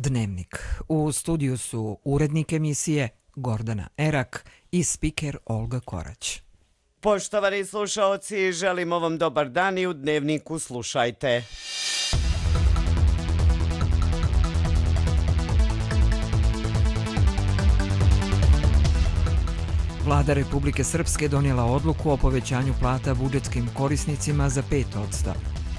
Dnevnik. U studiju su urednik emisije Gordana Erak i spiker Olga Korać. Poštovani slušaoci, želimo vam dobar dan i u Dnevniku slušajte. Vlada Republike Srpske donijela odluku o povećanju plata budžetskim korisnicima za 5%.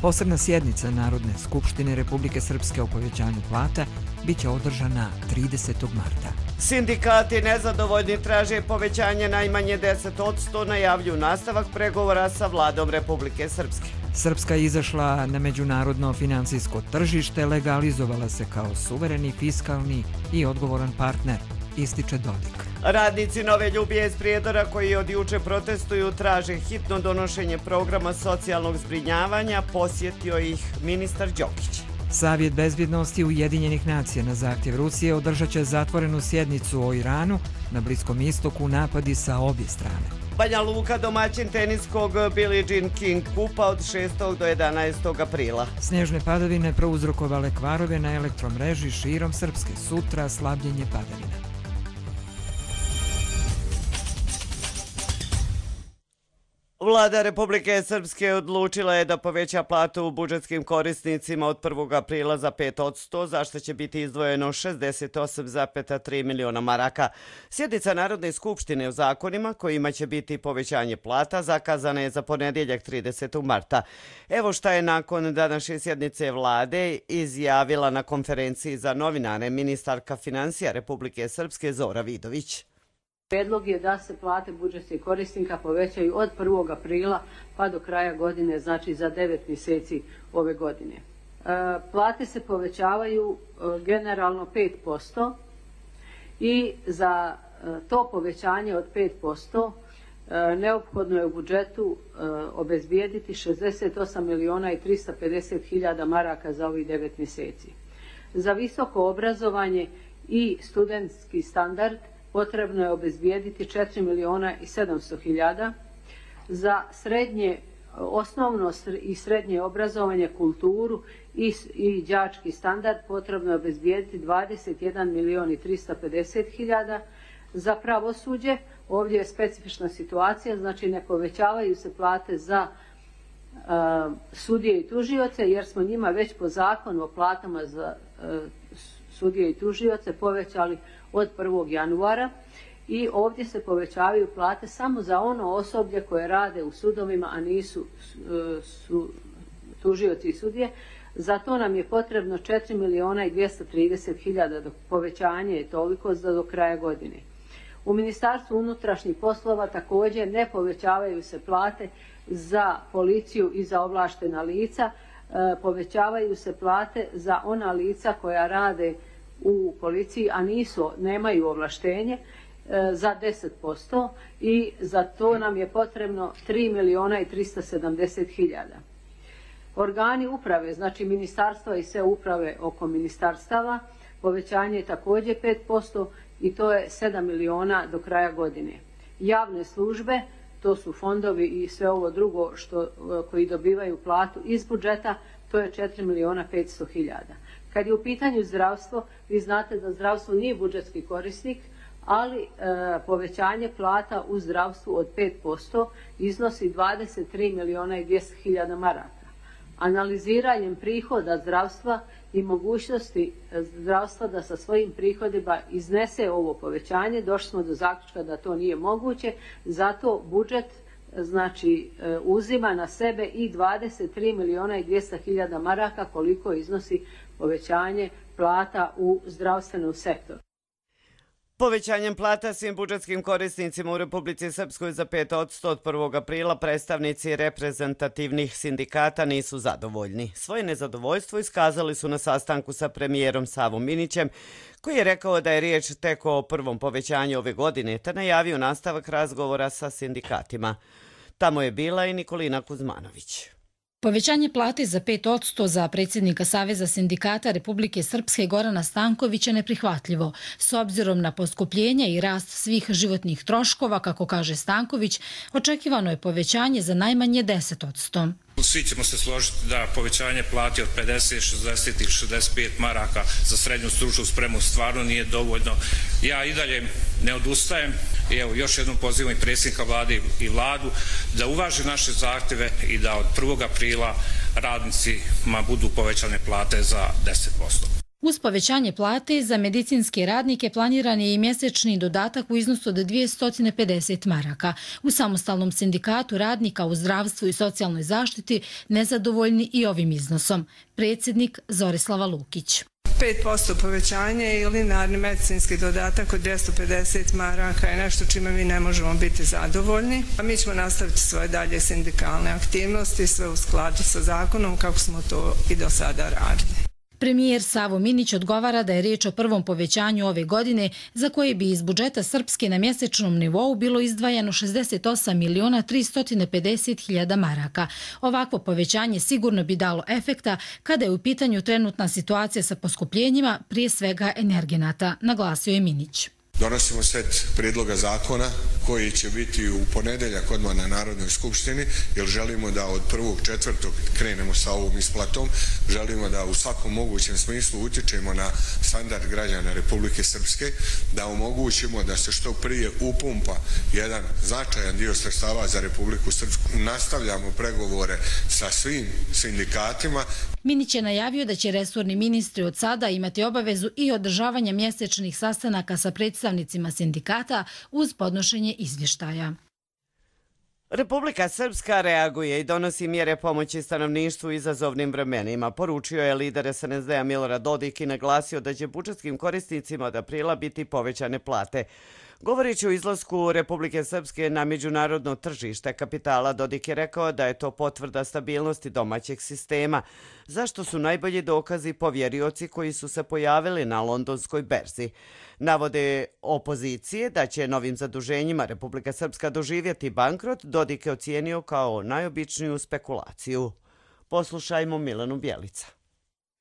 Posebna sjednica Narodne skupštine Republike Srpske o povećanju plata biće održana 30. marta. Sindikati nezadovoljni traže povećanje najmanje 10%, najavljuju nastavak pregovora sa Vladom Republike Srpske. Srpska je izašla na međunarodno finansijsko tržište, legalizovala se kao suvereni, fiskalni i odgovoran partner, ističe Dodik. Radnici Nove Ljubije iz Prijedora koji od juče protestuju traže hitno donošenje programa socijalnog zbrinjavanja, posjetio ih ministar Đokić. Savjet bezbjednosti Ujedinjenih nacija na zahtjev Rusije održat će zatvorenu sjednicu o Iranu, na Bliskom istoku napadi sa obje strane. Banja Luka domaćin teniskog Billie Jean King kupa od 6. do 11. aprila. Snježne padavine prouzrokovale kvarove na elektromreži širom Srpske, sutra slabljenje padavina. Vlada Republike Srpske odlučila je da poveća platu budžetskim korisnicima od 1. aprila za 5%, za što će biti izdvojeno 68,3 miliona maraka. Sjednica Narodne skupštine o zakonima kojima će biti povećanje plata zakazana je za ponedjeljak 30. marta. Evo šta je nakon današnje sjednice vlade izjavila na konferenciji za novinare ministarka financija Republike Srpske Zora Vidović. Predlog je da se plate budžetskih korisnika povećaju od 1. aprila pa do kraja godine, znači za 9 mjeseci ove godine. Plate se povećavaju generalno 5% i za to povećanje od 5% neophodno je u budžetu obezbijediti 68 miliona i 350 hiljada maraka za ovih 9 mjeseci. Za visoko obrazovanje i studentski standard potrebno je obezbijediti 4 miliona i 700 hiljada. Za srednje, osnovno i srednje obrazovanje, kulturu i đački standard potrebno je obezbijediti 21 milion i 350 hiljada. Za pravosuđe, ovdje je specifična situacija, znači ne povećavaju se plate za sudije i tužioce, jer smo njima već po zakonu o platama za sudije i tužioce povećali od 1. januara i ovdje se povećavaju plate samo za ono osoblje koje rade u sudovima, a nisu tužioci i sudije. Za to nam je potrebno 4 miliona i 230 hiljada, povećanje je toliko do kraja godine. U Ministarstvu unutrašnjih poslova također ne povećavaju se plate za policiju i za ovlaštena lica, povećavaju se plate za ona lica koja rade u policiji, a nemaju ovlaštenje, za 10% i za to nam je potrebno 3 miliona i 370 hiljada. Organi uprave, znači ministarstva i sve uprave oko ministarstava, povećanje je također 5% i to je 7 miliona do kraja godine. Javne službe, to su fondovi i sve ovo drugo koji dobivaju platu iz budžeta, to je 4 miliona 500 hiljada. Kad je u pitanju zdravstvo, vi znate da zdravstvo nije budžetski korisnik, ali povećanje plata u zdravstvu od 5% iznosi 23 miliona i 200 hiljada maraka. Analiziranjem prihoda zdravstva i mogućnosti zdravstva da sa svojim prihodima iznese ovo povećanje, došli smo do zaključka da to nije moguće, zato budžet znači uzima na sebe i 23 miliona i 200 hiljada maraka koliko iznosi povećanje plata u zdravstvenom sektoru. Povećanjem plata svim budžetskim korisnicima u Republici Srpskoj za 5% od 1. aprila predstavnici reprezentativnih sindikata nisu zadovoljni. Svoje nezadovoljstvo iskazali su na sastanku sa premijerom Savom Minićem, koji je rekao da je riječ tek o prvom povećanju ove godine, te najavio nastavak razgovora sa sindikatima. Tamo je bila i Nikolina Kuzmanović. Povećanje plate za 5% za predsjednika Saveza sindikata Republike Srpske Gorana Stankovića je neprihvatljivo. S obzirom na poskupljenje i rast svih životnih troškova, kako kaže Stanković, očekivano je povećanje za najmanje 10%. Svi ćemo se složiti da povećanje plati od 50, 60 ili 65 maraka za srednju stručnu spremu stvarno nije dovoljno. Ja i dalje ne odustajem i evo još jednom pozivam i predsjednika vlade i vladu da uvaži naše zahtjeve i da od 1. aprila radnicima budu povećane plate za 10%. Uz povećanje plate za medicinske radnike planiran je i mjesečni dodatak u iznosu od 250 maraka. U samostalnom sindikatu radnika u zdravstvu i socijalnoj zaštiti nezadovoljni i ovim iznosom. Predsjednik Zorislava Lukić. 5% povećanje i linearni medicinski dodatak od 250 maraka je nešto čime mi ne možemo biti zadovoljni. A mi ćemo nastaviti svoje dalje sindikalne aktivnosti, sve u skladu sa zakonom kako smo to i do sada radili. Premijer Savo Minić odgovara da je riječ o prvom povećanju ove godine za koje bi iz budžeta Srpske na mjesečnom nivou bilo izdvajano 68.350.000 maraka. Ovakvo povećanje sigurno bi dalo efekta kada je u pitanju trenutna situacija sa poskupljenjima, prije svega energenata, naglasio je Minić. Donosimo set prijedloga zakona koji će biti u ponedjeljak odmah na Narodnoj skupštini, jer želimo da od 1.4. krenemo sa ovom isplatom. Želimo da u svakom mogućem smislu utječemo na standard građana Republike Srpske, da omogućimo da se što prije upumpa jedan značajan dio sredstava za Republiku Srpsku. Nastavljamo pregovore sa svim sindikatima. Minić je najavio da će resorni ministri od sada imati obavezu i održavanja mjesečnih sastanaka sa predstavnicima sindikata uz podnošenje izvještaja. Republika Srpska reaguje i donosi mjere pomoći stanovništvu u izazovnim vremenima. Poručio je lider SNSD-a Milorad Dodik i naglasio da će budžetskim korisnicima od aprila biti povećane plate. Govoreći o izlasku Republike Srpske na međunarodno tržište kapitala, Dodik je rekao da je to potvrda stabilnosti domaćeg sistema, zašto su najbolji dokazi povjerioci koji su se pojavili na londonskoj berzi. Navode opozicije da će novim zaduženjima Republika Srpska doživjeti bankrot, Dodik je ocijenio kao najobičniju spekulaciju. Poslušajmo Milanu Bjelica.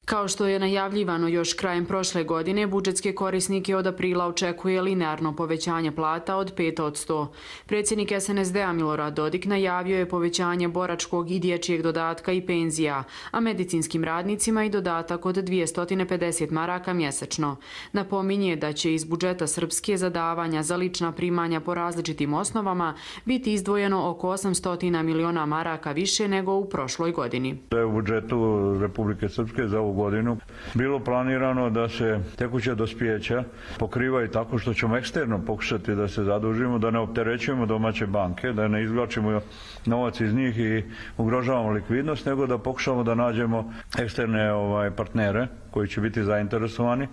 Kao što je najavljivano još krajem prošle godine, budžetske korisnike od aprila očekuje linearno povećanje plata od 5%. Predsjednik SNSD-a Milorad Dodik najavio je povećanje boračkog i dječjeg dodatka i penzija, a medicinskim radnicima i dodatak od 250 maraka mjesečno. Napominje da će iz budžeta Srpske za davanja za lična primanja po različitim osnovama biti izdvojeno oko 800 miliona maraka više nego u prošloj godini. U budžetu Republike Srpske za ovu godinu bilo planirano da se tekuća dospijeća pokrivaju tako što ćemo eksterno pokušati da se zadužimo, da ne opterećujemo domaće banke, da ne izvlačimo novac iz njih i ugrožavamo likvidnost, nego da pokušamo da nađemo eksterne partnere koji će biti zainteresovani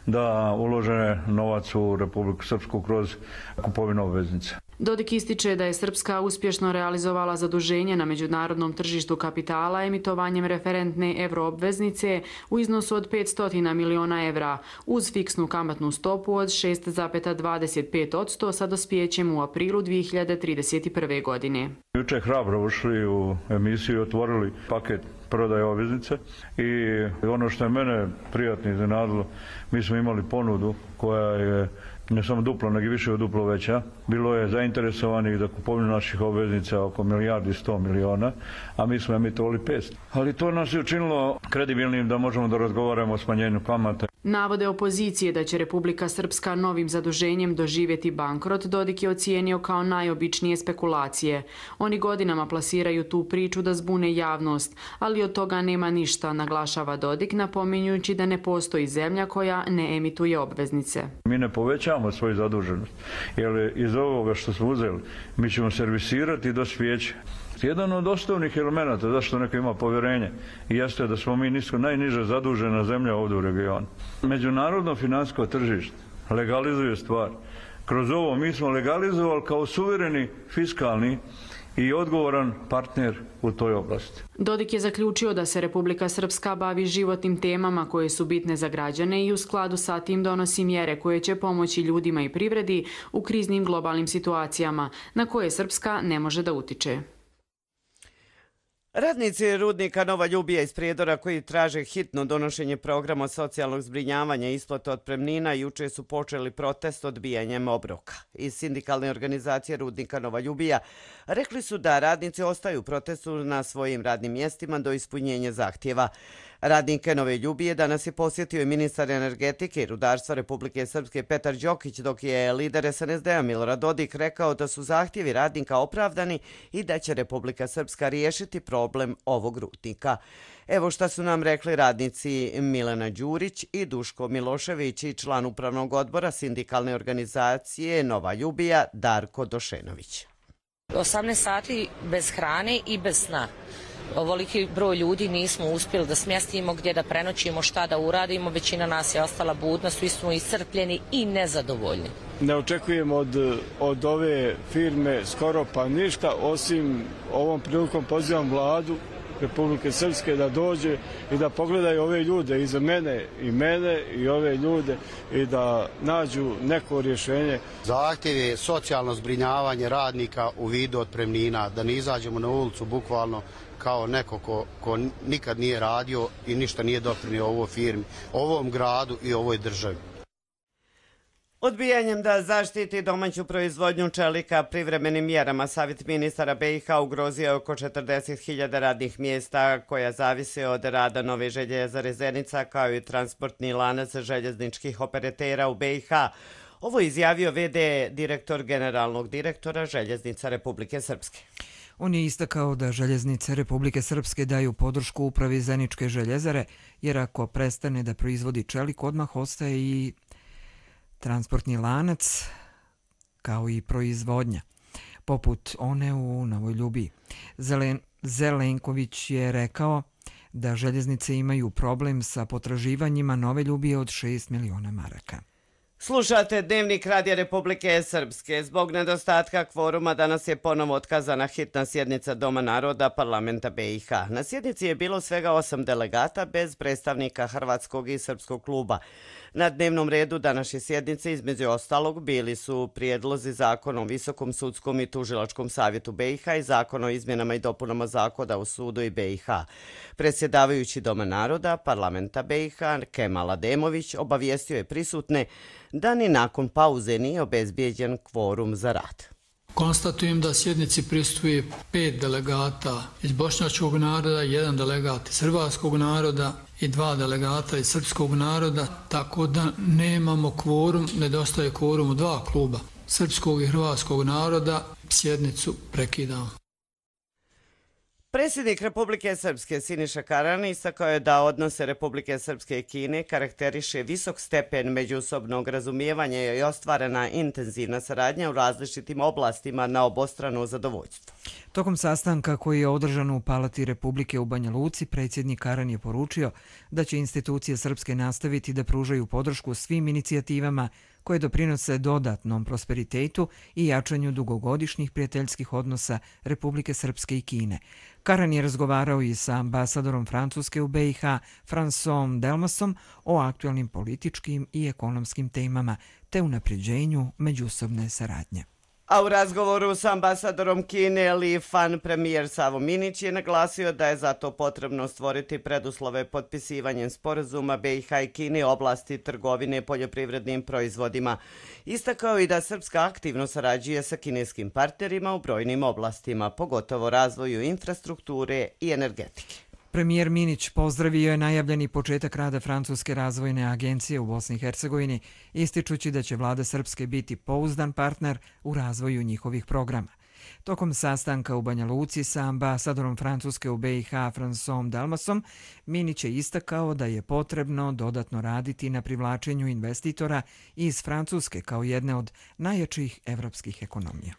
da ulože novac u Republiku Srpsku kroz kupovinu obveznice. Dodik ističe da je Srpska uspješno realizovala zaduženje na međunarodnom tržištu kapitala emitovanjem referentne euroobveznice u iznosu od 500 miliona evra uz fiksnu kamatnu stopu od 6,25% sa dospijećem u aprilu 2031. godine. Juče hrabro ušli u emisiju i otvorili paket prodaje obveznice i ono što je mene prijatno iznenadilo, mi smo imali ponudu koja je ne samo duplo, nego i više od duplo veća. Bilo je zainteresovanih za kupovinu naših obveznica oko 1,1 milijardi, a mi smo emitovali 500. Ali to nas je učinilo kredibilnim da možemo da razgovaramo o smanjenju kamata. Navode opozicije da će Republika Srpska novim zaduženjem doživjeti bankrot, Dodik je ocijenio kao najobičnije spekulacije. Oni godinama plasiraju tu priču da zbune javnost, ali od toga nema ništa, naglašava Dodik, napominjujući da ne postoji zemlja koja ne emituje obveznice. Mi ne povećamo svoju zaduženost, jer iz ovoga što smo uzeli mi ćemo servisirati dospijeće. Jedan od osnovnih elemenata zašto neko ima povjerenje jeste da smo mi najniže zadužena zemlja ovdje u regionu. Međunarodno financijsko tržište legalizuje stvar. Kroz ovo mi smo legalizovali kao suvereni, fiskalni i odgovoran partner u toj oblasti. Dodik je zaključio da se Republika Srpska bavi životnim temama koje su bitne za građane i u skladu sa tim donosi mjere koje će pomoći ljudima i privredi u kriznim globalnim situacijama na koje Srpska ne može da utiče. Radnici rudnika Nova Ljubija iz Prijedora koji traže hitno donošenje programa socijalnog zbrinjavanja i isplate otpremnina juče su počeli protest odbijanjem obroka. Iz sindikalne organizacije rudnika Nova Ljubija rekli su da radnici ostaju u protestu na svojim radnim mjestima do ispunjenja zahtjeva. Radnike Nove Ljubije danas je posjetio i ministar energetike i rudarstva Republike Srpske Petar Đokić, dok je lider SNSD-a Milorad Dodik rekao da su zahtjevi radnika opravdani i da će Republika Srpska riješiti problem ovog rudnika. Evo šta su nam rekli radnici Milena Đurić i Duško Milošević i član upravnog odbora sindikalne organizacije Nova Ljubija Darko Došenović. 18 sati bez hrane i bez sna. Ovoliki broj ljudi nismo uspjeli da smjestimo, gdje da prenoćimo, šta da uradimo. Većina nas je ostala budna, svi smo iscrpljeni i nezadovoljni. Ne očekujemo od ove firme skoro pa ništa, osim ovom prilikom pozivam vladu Republike Srpske da dođe i da pogledaju ove ljude iza mene i ove ljude i da nađu neko rješenje. Zahtjev je socijalno zbrinjavanje radnika u vidu otpremnina, da ne izađemo na ulicu bukvalno kao neko ko nikad nije radio i ništa nije doprinio ovoj firmi, ovom gradu i ovoj državi. Odbijanjem da zaštiti domaću proizvodnju čelika privremenim mjerama Savjet ministara BiH ugrozio je oko 40.000 radnih mjesta koja zavise od rada Nove željezare Zenica kao i transportni lanac željezničkih operatera u BiH. Ovo je izjavio v.d. direktor generalnog direktora Željeznica Republike Srpske. On je istakao da Željeznice Republike Srpske daju podršku upravi Zeničke željezare, jer ako prestane da proizvodi čelik, odmah ostaje i transportni lanac, kao i proizvodnja, poput one u Novoj Ljubiji. Zelenković je rekao da željeznice imaju problem sa potraživanjima Nove Ljubije od 6 miliona maraka. Slušate Dnevnik Radija Republike Srpske. Zbog nedostatka kvoruma danas je ponovo otkazana hitna sjednica Doma naroda parlamenta BiH. Na sjednici je bilo svega 8 delegata bez predstavnika Hrvatskog i Srpskog kluba. Na dnevnom redu današnje sjednice između ostalog bili su prijedlozi zakona o Visokom sudskom i tužilačkom savjetu BiH i zakon o izmjenama i dopunama zakona o sudu i BiH. Predsjedavajući Doma naroda parlamenta BiH Kemal Ademović obavijestio je prisutne da ni nakon pauze nije obezbijeđen kvorum za rad. Konstatujem da sjednici prisustvuje 5 delegata iz bošnjačkog naroda, 1 delegat iz hrvatskog naroda i 2 delegata iz srpskog naroda, tako da nemamo kvorum, nedostaje kvorum u 2 kluba, srpskog i hrvatskog naroda. Sjednicu prekidamo. Predsjednik Republike Srpske Siniša Karani istakao je da odnose Republike Srpske i Kine karakteriše visok stepen međusobnog razumijevanja i ostvarena intenzivna saradnja u različitim oblastima na obostrano zadovoljstvo. Tokom sastanka koji je održan u Palati Republike u Banja Luci, predsjednik Karan je poručio da će institucije srpske nastaviti da pružaju podršku svim inicijativama koje doprinose dodatnom prosperitetu i jačanju dugogodišnjih prijateljskih odnosa Republike Srpske i Kine. Karan je razgovarao i sa ambasadorom Francuske u BiH, François Delmasom, o aktualnim političkim i ekonomskim temama te unapređenju međusobne saradnje. A u razgovoru s ambasadorom Kine Li Fan premijer Savo Minić je naglasio da je zato potrebno stvoriti preduslove potpisivanjem sporazuma BiH i Kine u oblasti trgovine poljoprivrednim proizvodima. Istakao i da Srpska aktivno sarađuje sa kineskim partnerima u brojnim oblastima, pogotovo razvoju infrastrukture i energetike. Premijer Minić pozdravio je najavljeni početak rada Francuske razvojne agencije u Bosni i Hercegovini, ističući da će vlada Srpske biti pouzdan partner u razvoju njihovih programa. Tokom sastanka u Banja Luci sa ambasadorom Francuske u BiH François Delmasom, Minić je istakao da je potrebno dodatno raditi na privlačenju investitora iz Francuske kao jedne od najjačih evropskih ekonomija.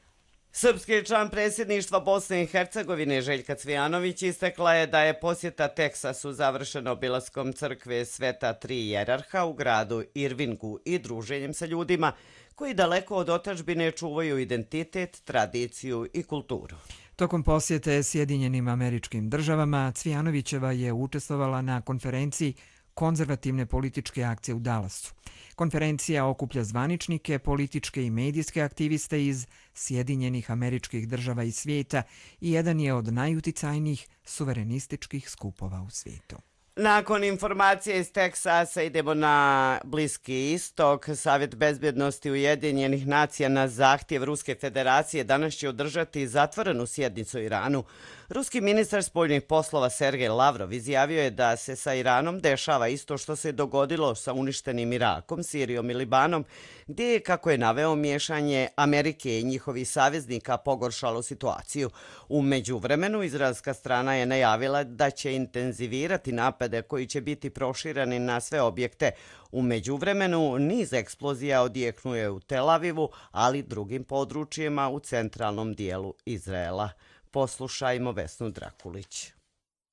Srpski član predsjedništva Bosne i Hercegovine Željka Cvijanović istakla je da je posjeta Teksasu završena obilaskom crkve Sveta Tri Jerarha u gradu Irvingu i druženjem sa ljudima koji daleko od otadžbine čuvaju identitet, tradiciju i kulturu. Tokom posjete Sjedinjenim Američkim Državama, Cvijanovićeva je učestvovala na konferenciji Konzervativne političke akcije u Dallasu. Konferencija okuplja zvaničnike, političke i medijske aktiviste iz Sjedinjenih Američkih Država i svijeta i jedan je od najuticajnijih suverenističkih skupova u svijetu. Nakon informacije iz Teksasa idemo na Bliski istok. Savjet bezbjednosti Ujedinjenih nacija na zahtjev Ruske federacije danas će održati zatvorenu sjednicu o Iranu. Ruski ministar spoljnih poslova Sergej Lavrov izjavio je da se sa Iranom dešava isto što se dogodilo sa uništenim Irakom, Sirijom i Libanom, gdje je, kako je naveo, miješanje Amerike i njihovih saveznika pogoršalo situaciju. U međuvremenu izraelska strana je najavila da će intenzivirati napade koji će biti prošireni na sve objekte. U međuvremenu niz eksplozija odjeknuje u Tel Avivu, ali drugim područjima u centralnom dijelu Izraela. Poslušajmo Vesnu Drakulić.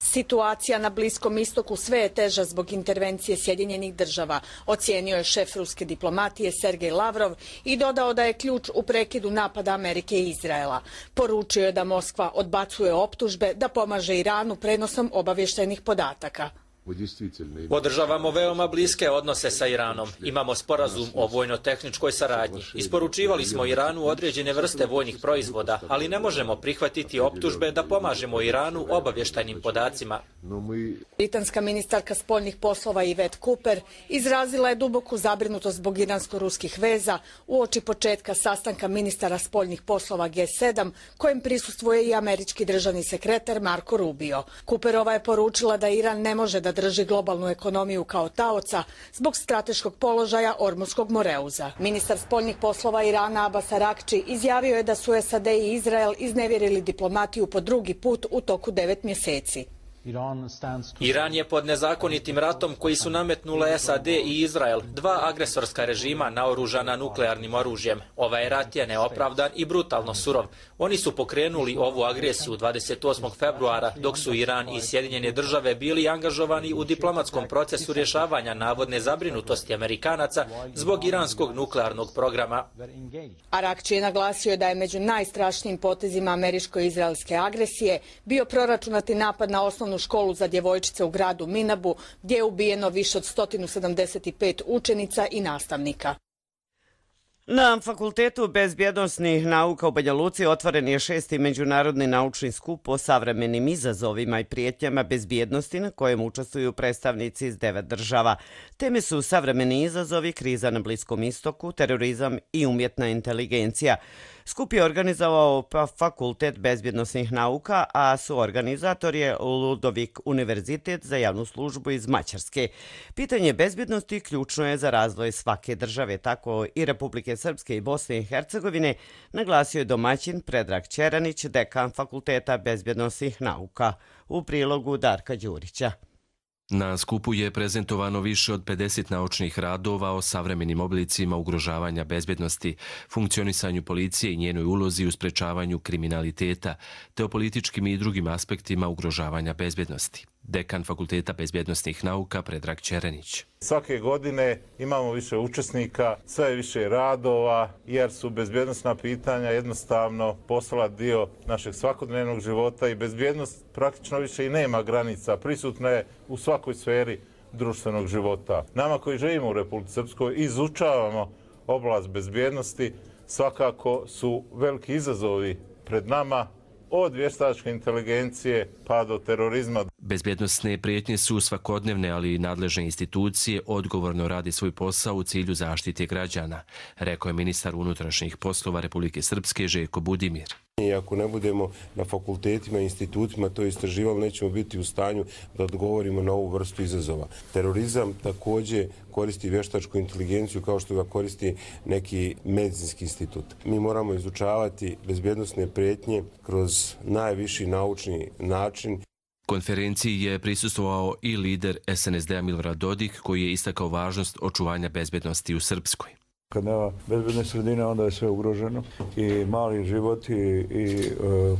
Situacija na Bliskom istoku sve je teža zbog intervencije Sjedinjenih država, ocijenio je šef ruske diplomatije Sergej Lavrov i dodao da je ključ u prekidu napada Amerike i Izraela. Poručio je da Moskva odbacuje optužbe da pomaže Iranu prenosom obavještajnih podataka. Održavamo veoma bliske odnose sa Iranom. Imamo sporazum o vojno-tehničkoj saradnji. Isporučivali smo Iranu određene vrste vojnih proizvoda, ali ne možemo prihvatiti optužbe da pomažemo Iranu obavještajnim podacima. Britanska ministarka spoljnih poslova Yvette Cooper izrazila je duboku zabrinutost zbog iransko-ruskih veza uoči početka sastanka ministara spoljnih poslova G7, kojem prisustvuje i američki državni sekretar Marco Rubio. Cooperova je poručila da Iran ne može da drži globalnu ekonomiju kao taoca zbog strateškog položaja Ormuskog Moreuza. Ministar spoljnih poslova Irana Abbas Araghči izjavio je da su SAD i Izrael iznevjerili diplomatiju po drugi put u toku 9 mjeseci. Iran je pod nezakonitim ratom koji su nametnule SAD i Izrael, dva agresorska režima naoružana nuklearnim oružjem. Ovaj rat je neopravdan i brutalno surov. Oni su pokrenuli ovu agresiju 28. februara, dok su Iran i Sjedinjene države bili angažovani u diplomatskom procesu rješavanja navodne zabrinutosti Amerikanaca zbog iranskog nuklearnog programa. Araghči je naglasio da je među najstrašnijim potezima američko-izraelske agresije bio proračunati napad na osnovnu školu za djevojčice u gradu Minabu, gdje je ubijeno više od 175 učenica i nastavnika. Na Fakultetu bezbjednosnih nauka u Banja Luci otvoren je 6. međunarodni naučni skup o savremenim izazovima i prijetnjama bezbjednosti na kojem učestvuju predstavnici iz 9 država. Teme su savremeni izazovi, kriza na Bliskom istoku, terorizam i umjetna inteligencija. Skup je organizovao Fakultet bezbjednosnih nauka, a suorganizator je Ludovik Univerzitet za javnu službu iz Mađarske. Pitanje bezbjednosti ključno je za razvoj svake države, tako i Republike Srpske i Bosne i Hercegovine, naglasio je domaćin Predrag Ćeranić, dekan Fakulteta bezbjednosnih nauka. U prilogu Darka Đurića. Na skupu je prezentovano više od 50 naučnih radova o savremenim oblicima ugrožavanja bezbjednosti, funkcionisanju policije i njenoj ulozi u sprečavanju kriminaliteta, te o političkim i drugim aspektima ugrožavanja bezbjednosti. Dekan Fakulteta bezbjednosnih nauka Predrag Ćeranić. Svake godine imamo više učesnika, sve više radova, jer su bezbjednosna pitanja jednostavno postala dio našeg svakodnevnog života i bezbjednost praktično više i nema granica, prisutna je u svakoj sferi društvenog života. Nama koji živimo u Republici Srpskoj izučavamo oblast bezbjednosti, svakako su veliki izazovi pred nama, od vještačke inteligencije pa do terorizma. Bezbjednosne prijetnje su svakodnevne, ali i nadležne institucije odgovorno radi svoj posao u cilju zaštite građana, rekao je ministar unutrašnjih poslova Republike Srpske Željko Budimir. I ako ne budemo na fakultetima i institutima to istraživali, nećemo biti u stanju da odgovorimo na ovu vrstu izazova. Terorizam također koristi vještačku inteligenciju kao što ga koristi neki medicinski institut. Mi moramo izučavati bezbjednosne prijetnje kroz najviši naučni način. Konferenciji je prisustvovao i lider SNSD-a Milorad Dodik, koji je istakao važnost očuvanja bezbjednosti u Srpskoj. Kad nema bezbjedne sredine, onda je sve ugroženo. I mali životi i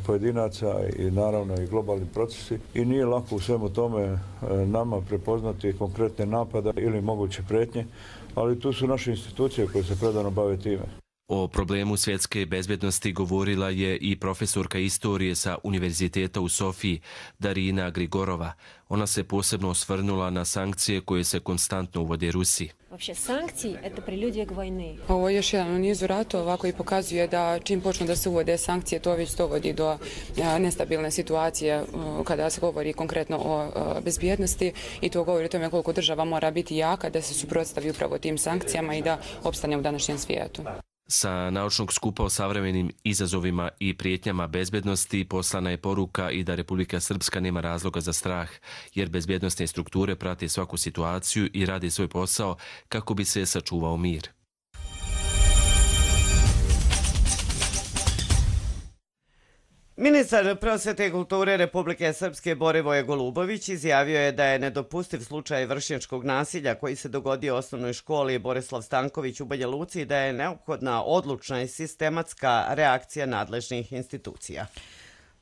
pojedinaca i naravno i globalni procesi. I nije lako u svemu tome nama prepoznati konkretne napada ili moguće prijetnje, ali tu su naše institucije koje se predano bave time. O problemu svjetske bezbjednosti govorila je i profesorka istorije sa Univerziteta u Sofiji, Darina Grigorova. Ona se posebno osvrnula na sankcije koje se konstantno uvode Rusiji. Ovo je još jedan u nizu ratova koji pokazuje da čim počnu da se uvode sankcije, to već dovodi do nestabilne situacije kada se govori konkretno o bezbjednosti i to govori o tome koliko država mora biti jaka da se suprotstavi upravo tim sankcijama i da opstane u današnjem svijetu. Sa naučnog skupa o savremenim izazovima i prijetnjama bezbjednosti poslana je poruka i da Republika Srpska nema razloga za strah, jer bezbjednosne strukture prate svaku situaciju i rade svoj posao kako bi se sačuvao mir. Ministar prosvete i kulture Republike Srpske Borivoje Golubović izjavio je da je nedopustiv slučaj vršnjačkog nasilja koji se dogodio u osnovnoj školi Borislav Stanković u Banja Luci i da je neophodna odlučna i sistematska reakcija nadležnih institucija.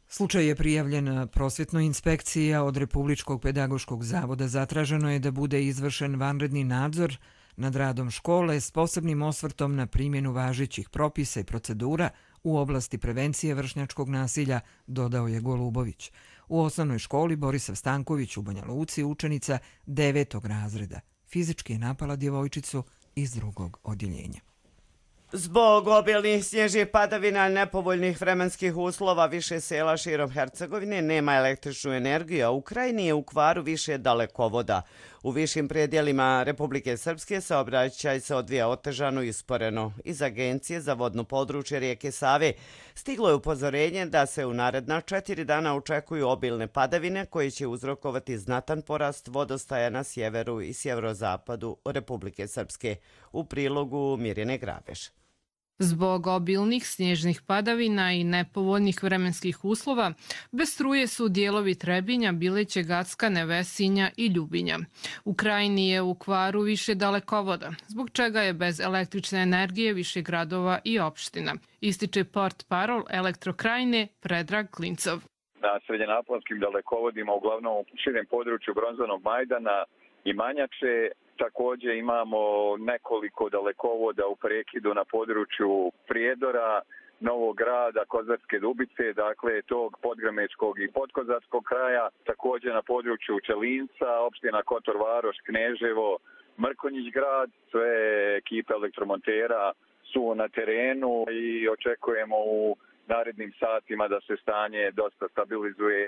Slučaj je prijavljen prosvjetnoj inspekciji, a od Republičkog pedagoškog zavoda zatraženo je da bude izvršen vanredni nadzor nad radom škole s posebnim osvrtom na primjenu važećih propisa i procedura u oblasti prevencije vršnjačkog nasilja, dodao je Golubović. U osnovnoj školi Borislav Stanković u Banja Luci učenica 9. razreda fizički je napala djevojčicu iz 2. odjeljenja. Zbog obilnih snježnih padavina i nepovoljnih vremenskih uslova više sela širom Hercegovine nema električnu energiju, a u Krajini je u kvaru više dalekovoda. U višim predjelima Republike Srpske saobraćaj se odvija otežano i usporeno. Iz Agencije za vodno područje rijeke Save stiglo je upozorenje da se u naredna 4 dana očekuju obilne padavine koje će uzrokovati znatan porast vodostaja na sjeveru i sjeverozapadu Republike Srpske. U prilogu Mirjane Grabež. Zbog obilnih snježnih padavina i nepovoljnih vremenskih uslova, bez struje su dijelovi Trebinja, Bileće, Gacka, Nevesinja i Ljubinja. U Krajini je u kvaru više dalekovoda, zbog čega je bez električne energije više gradova i opština. Ističe portparol Elektrokrajine Predrag Klincov. Na srednjenaponskim dalekovodima, uglavnom u širem području Bronzanog Majdana i Manjače, također imamo nekoliko dalekovoda u prekidu na području Prijedora, Novog Grada, Kozarske Dubice, dakle tog podgrmečkog i podkozarskog kraja, također na području Čelinca, opština Kotor Varoš, Kneževo, Mrkonjić grad. Sve ekipe elektromontera su na terenu i očekujemo u narednim satima da se stanje dosta stabilizuje.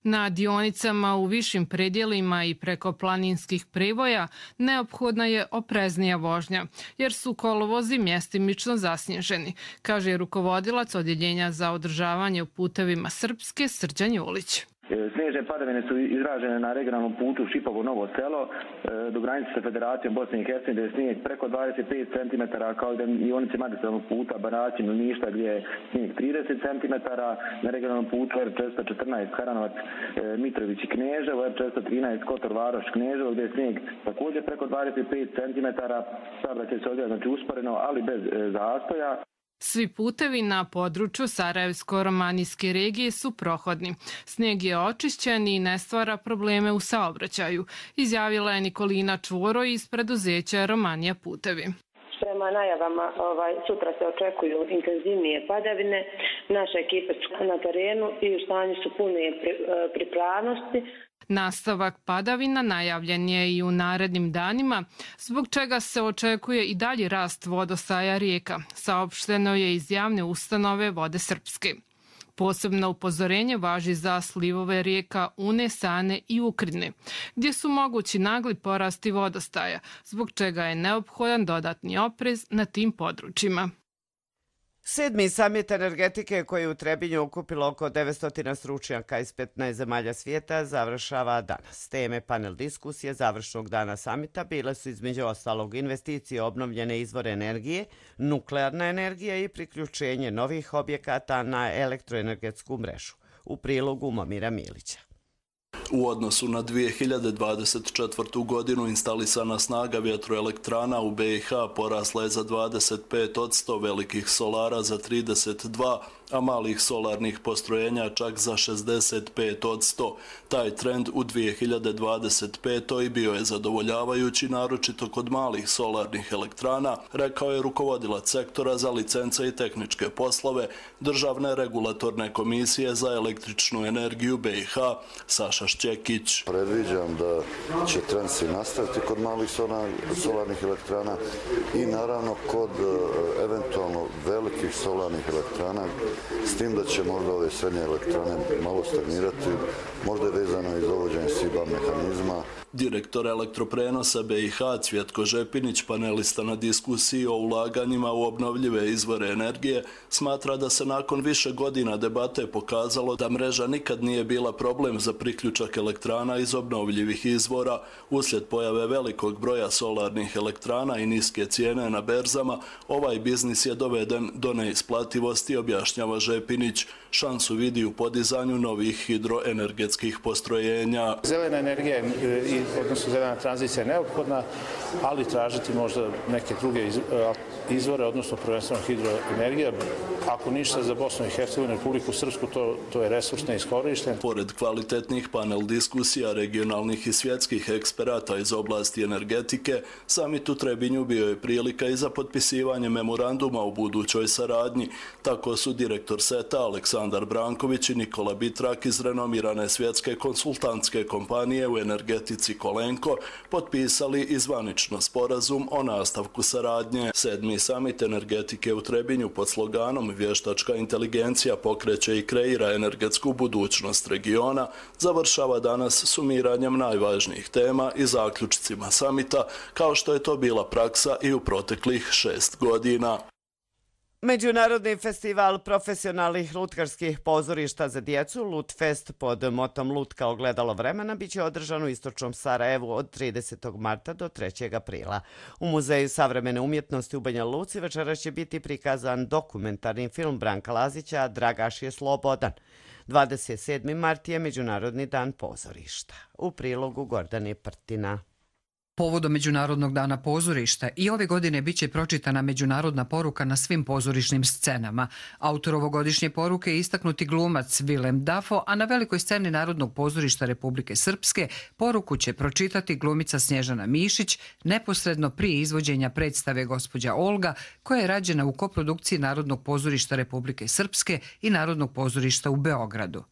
Na dionicama u višim predjelima i preko planinskih privoja neophodna je opreznija vožnja, jer su kolovozi mjestimično zasnježeni, kaže rukovodilac Odjeljenja za održavanje u putevima Srpske Srđan Julić. Snježne padavine su izražene na regionalnom putu Šipovo-Novo selo do granice sa Federacijom Bosne i Hercegovine, gdje je snijeg preko 25 cm, kao i na dionici magistralnog puta Banaćin-Ništa gdje je snijeg 30 cm, na regionalnom putu R414 Haranovac, Mitrović i Kneževo, R413 Kotor Varoš, Kneževo gdje je snijeg također preko 25 cm, saobraćaj se odvija znači usporeno, ali bez zastoja. Svi putevi na području Sarajevsko-Romanijske regije su prohodni. Snijeg je očišćen i ne stvara probleme u saobraćaju, izjavila je Nikolina Čvoro iz preduzeća Romanija putevi. Prema najavama sutra se očekuju intenzivnije padavine. Naše ekipe su na terenu i u stanju su pune pripravnosti. Nastavak padavina najavljen je i u narednim danima, zbog čega se očekuje i dalji rast vodostaja rijeka, saopšteno je iz javne ustanove Vode Srpske. Posebno upozorenje važi za slivove rijeka Une, Sane i Ukrine, gdje su mogući nagli porasti vodostaja, zbog čega je neophodan dodatni oprez na tim područjima. 7. samit energetike koji je u Trebinju okupilo oko 900 stručnjaka iz 15 zemalja svijeta završava danas. Teme panel diskusije završnog dana samita bile su između ostalog investicije obnovljene izvore energije, nuklearna energija i priključenje novih objekata na elektroenergetsku mrežu. U prilogu Momira Milića. U odnosu na 2024. godinu instalisana snaga vjetroelektrana u BiH porasla je za 25%, velikih solara za 32%, a malih solarnih postrojenja čak za 65%. Taj trend u 2025. bio je zadovoljavajući, naročito kod malih solarnih elektrana, rekao je rukovodilac sektora za licence i tehničke poslove Državne regulatorne komisije za električnu energiju BiH Saša Šćekić. Predviđam da će trend se nastaviti kod malih solarnih elektrana i naravno kod eventualno velikih solarnih elektrana, s tim da će možda ove srednje elektrane malo stagnirati, možda je vezano i za uvođenje SIBA mehanizma. Direktor elektroprenosa BiH Cvjetko Žepinić, panelista na diskusiji o ulaganjima u obnovljive izvore energije, smatra da se nakon više godina debate pokazalo da mreža nikad nije bila problem za priključak elektrana iz obnovljivih izvora. Uslijed pojave velikog broja solarnih elektrana i niske cijene na berzama, ovaj biznis je doveden do neisplativosti, objašnjava Žepinić. Šansu vidi u podizanju novih hidroenergetskih postrojenja. Zelena energija odnosno zelena tranzicija je neophodna, ali tražiti možda neke druge izvore, odnosno prvenstveno hidroenergija. Ako ništa za Bosnu i Hercegovinu, Republiku Srpsku, to je resurs neiskorišten. Pored kvalitetnih panel diskusija regionalnih i svjetskih eksperata iz oblasti energetike, samit u Trebinju bio je prilika i za potpisivanje memoranduma o budućoj saradnji. Tako su direktor SETA Aleksandar Branković i Nikola Bitrak iz renomirane svjetske konsultantske kompanije u energetici Kolenko potpisali i zvanično sporazum o nastavku saradnje. 7. samit energetike u Trebinju pod sloganom Vještačka inteligencija pokreće i kreira energetsku budućnost regiona završava danas sumiranjem najvažnijih tema i zaključcima samita, kao što je to bila praksa i u proteklih 6 godina. Međunarodni festival profesionalnih lutkarskih pozorišta za djecu Lutfest pod motom Lutka ogledalo vremena biće održan u istočnom Sarajevu od 30. marta do 3. aprila. U Muzeju savremene umjetnosti u Banja Luci večeras će biti prikazan dokumentarni film Branka Lazića Dragaš je slobodan. 27. mart je Međunarodni dan pozorišta. U prilogu Gordane Prtina. Povodom Međunarodnog dana pozorišta i ove godine biće pročitana međunarodna poruka na svim pozorišnim scenama. Autor ovogodišnje poruke je istaknuti glumac Willem Dafoe, a na velikoj sceni Narodnog pozorišta Republike Srpske poruku će pročitati glumica Snježana Mišić neposredno prije izvođenja predstave Gospođa Olga, koja je rađena u koprodukciji Narodnog pozorišta Republike Srpske i Narodnog pozorišta u Beogradu.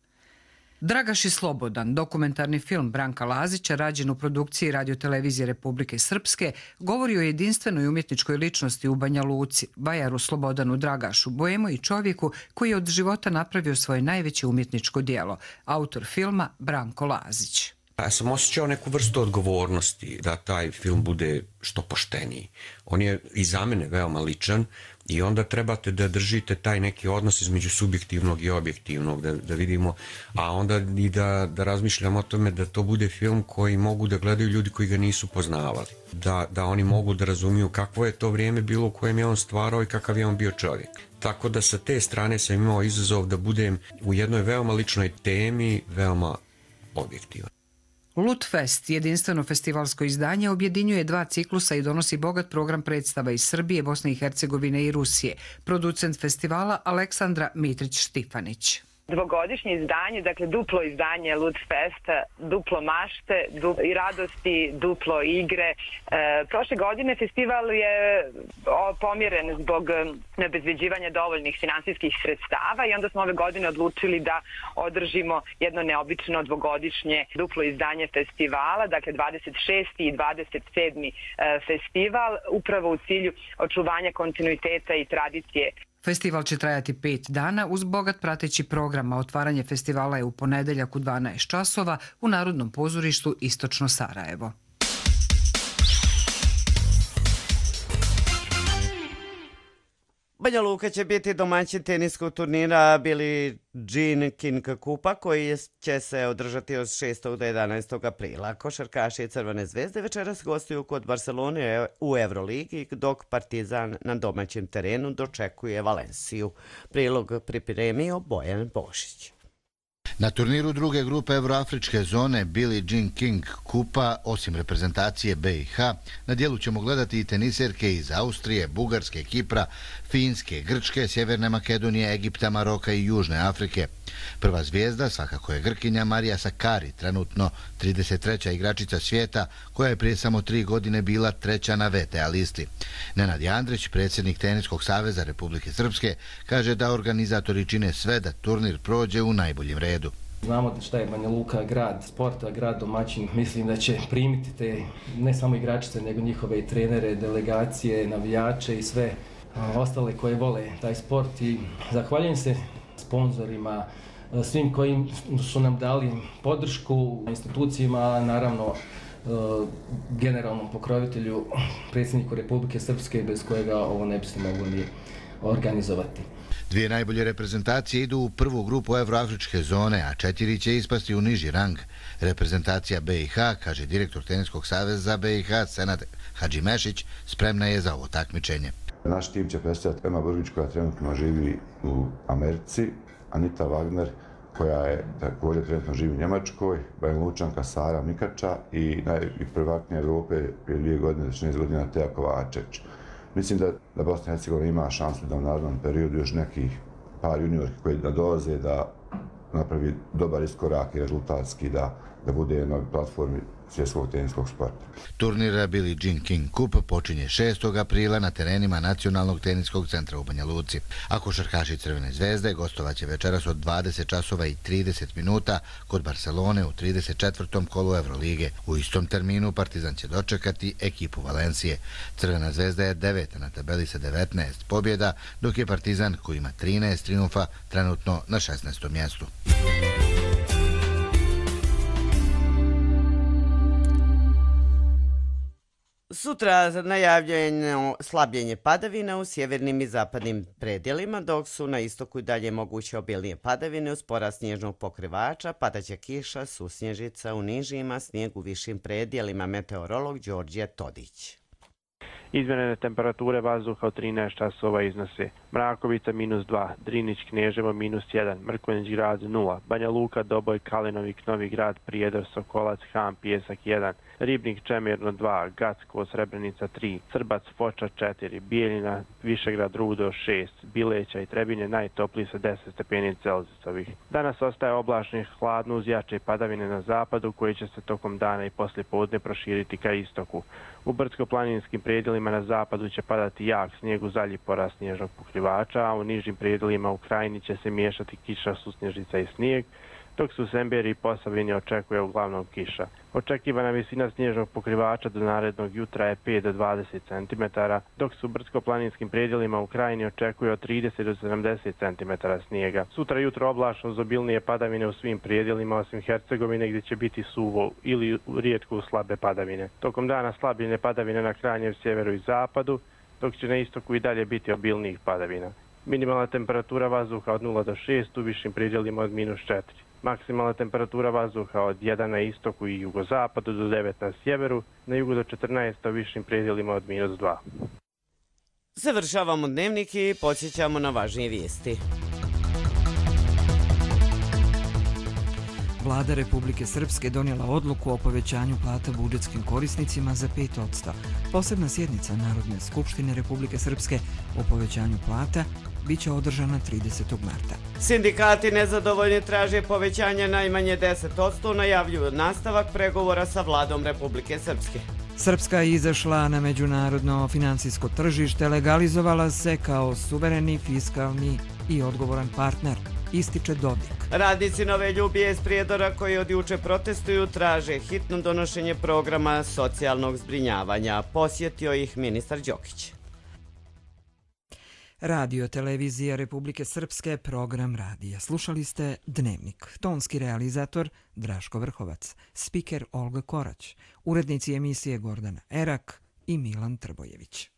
Dragaš je slobodan, dokumentarni film Branka Lazića, rađen u produkciji Radiotelevizije Republike Srpske, govori o jedinstvenoj umjetničkoj ličnosti u Banja Luci, vajaru Slobodanu Dragašu, boemu i čovjeku koji je od života napravio svoje najveće umjetničko djelo, autor filma Branko Lazić. Ja sam osjećao neku vrstu odgovornosti da taj film bude što pošteniji. On je i za mene veoma ličan i onda trebate da držite taj neki odnos između subjektivnog i objektivnog, da vidimo, a onda i da razmišljam o tome da to bude film koji mogu da gledaju ljudi koji ga nisu poznavali. Da oni mogu da razumiju kakvo je to vrijeme bilo u kojem je on stvarao i kakav je on bio čovjek. Tako da sa te strane sam imao izazov da budem u jednoj veoma ličnoj temi, veoma objektivan. Lutfest, jedinstveno festivalsko izdanje, objedinjuje 2 ciklusa i donosi bogat program predstava iz Srbije, Bosne i Hercegovine i Rusije. Producent festivala Aleksandra Mitrić-Štifanić. Dvogodišnje izdanje, dakle duplo izdanje Lutfesta, duplo mašte i radosti, duplo igre. Prošle godine festival je pomjeren zbog neobezbeđivanja dovoljnih finansijskih sredstava i onda smo ove godine odlučili da održimo jedno neobično dvogodišnje duplo izdanje festivala, dakle 26. i 27. festival, upravo u cilju očuvanja kontinuiteta i tradicije. Festival će trajati 5 dana uz bogat prateći program, a otvaranje festivala je u ponedeljak u 12 časova u Narodnom pozorištu Istočno Sarajevo. Banja Luka će biti domaćin teniskog turnira Billie Jean King Kupa koji će se održati od 6. do 11. aprila. Košarkaši Crvene zvezde večeras gostuju kod Barcelone u Euroligi, dok Partizan na domaćem terenu dočekuje Valenciju. Prilog pripremio Bojan Bošić. Na turniru druge grupe Evroafričke zone Billie Jean King kupa, osim reprezentacije BiH, na dijelu ćemo gledati i teniserke iz Austrije, Bugarske, Kipra, Finske, Grčke, Sjeverne Makedonije, Egipta, Maroka i Južne Afrike. Prva zvijezda svakako je Grkinja Marija Sakkari, trenutno 33. igračica svijeta, koja je prije samo 3 godine bila 3. na VTA listi. Nenad Jandrić, predsjednik Teniskog saveza Republike Srpske, kaže da organizatori čine sve da turnir prođe u najboljem redu. Znamo šta je Banja Luka grad sporta, grad domaćin. Mislim da će primiti te ne samo igračice, nego njihove i trenere, delegacije, navijače i sve ostale koje vole taj sport. I zahvaljujem se sponzorima, svim koji su nam dali podršku, institucijama, naravno generalnom pokrovitelju, predsjedniku Republike Srpske, bez kojega ovo ne bi se moglo ni organizovati. Dvije najbolje reprezentacije idu u prvu grupu Evroafričke zone, a 4 će ispasti u niži rang. Reprezentacija BiH, kaže direktor Teniskog saveza BiH Senad Hadžimešić, spremna je za ovo takmičenje. Naš tim će predstavljati Ema Brgić, koja trenutno živi u Americi, Anita Wagner, koja je također trenutno živi u Njemačkoj, Banja Lučanka Sara Mikača i prvaknja Evrope prije 2 godine, 16 godina Teja Kovačević. Mislim da Bosna i Hercegovina ima šansu da u narednom periodu još nekih par juniorki koji dolaze da napravi dobar iskorak i rezultatski da bude na platformi svjetskog teniskog sporta. Turnir Billie Jean King Cup počinje 6. aprila na terenima Nacionalnog teniskog centra u Banja Luci. A košarkaši Crvene zvezde gostovaće večeras od 20 časova i 30 minuta kod Barcelone u 34. kolu Evrolige. U istom terminu Partizan će dočekati ekipu Valencije. Crvena zvezda je 9. na tabeli sa 19 pobjeda, dok je Partizan, koji ima 13 triumfa, trenutno na 16. mjestu. Sutra najavljeno slabljenje padavina u sjevernim i zapadnim predjelima, dok su na istoku i dalje moguće obilnije padavine uz porast snježnog pokrivača, padaće kiša, susnježica u nižima, snijeg u višim predjelima, meteorolog Đorđe Todić. Izmjerene temperature vazduha od 13 časova iznose Mrakovica -2, Drinić Kneževo -1, Mrkonjić grad 0, Banja Luka, Doboj, Kalinovik, Novi grad, Prijedor, Sokolac, Ham, Pijesak 1, Ribnik, Čemirno 2, Gacko, Srebrenica 3, Srbac, Foča 4, Bijeljina, Višegrad, Rudo 6, Bileća i Trebinje najtopliji sa 10 stepeni Celzijusovih. Danas ostaje oblačno i hladno uz jače padavine na zapadu koji će se tokom dana i poslijepodne proširiti ka istoku. U brdsko-planinskim predjelima na zapadu će padati jak snijeg uz dalji porast snježnog pokrivača, a u nižim predjelima u Krajini će se miješati kiša, susnježica i snijeg, dok se u Semberi i Posavini očekuje uglavnom kiša. Očekivana visina snježnog pokrivača do narednog jutra je 5 do 20 cm, dok se u brdsko-planinskim predjelima u Krajini očekuje od 30 do 70 cm snijega. Sutra jutro oblačno uz obilnije padavine u svim predjelima osim Hercegovine gdje će biti suvo ili rijetko slabe padavine. Tokom dana slabljenje padavine na krajnjem sjeveru i zapadu, dok će na istoku i dalje biti obilnijih padavina. Minimalna temperatura vazduha od 0 do 6, u višim predjelima od -4. Maksimalna temperatura vazduha od 1 na istoku i jugozapadu do 9 na sjeveru, na jugu do 14 u višim predjelima od -2. Završavamo dnevnik i podsjećamo na važnije vijesti. Vlada Republike Srpske donijela odluku o povećanju plata budžetskim korisnicima za 5%. Posebna sjednica Narodne skupštine Republike Srpske o povećanju plata biće održana 30. marta. Sindikati nezadovoljni traže povećanje najmanje 10%, najavljuju nastavak pregovora sa vladom Republike Srpske. Srpska je izašla na međunarodno financijsko tržište, legalizovala se kao suvereni, fiskalni i odgovoran partner, ističe Dodik. Radnici Nove Ljubije iz Prijedora koji od juče protestuju traže hitno donošenje programa socijalnog zbrinjavanja. Posjetio ih ministar Đokić. Radio televizija Republike Srpske, program radija. Slušali ste Dnevnik. Tonski realizator Draško Vrhovac, spiker Olga Korać, urednici emisije Gordana Erak i Milan Trbojević.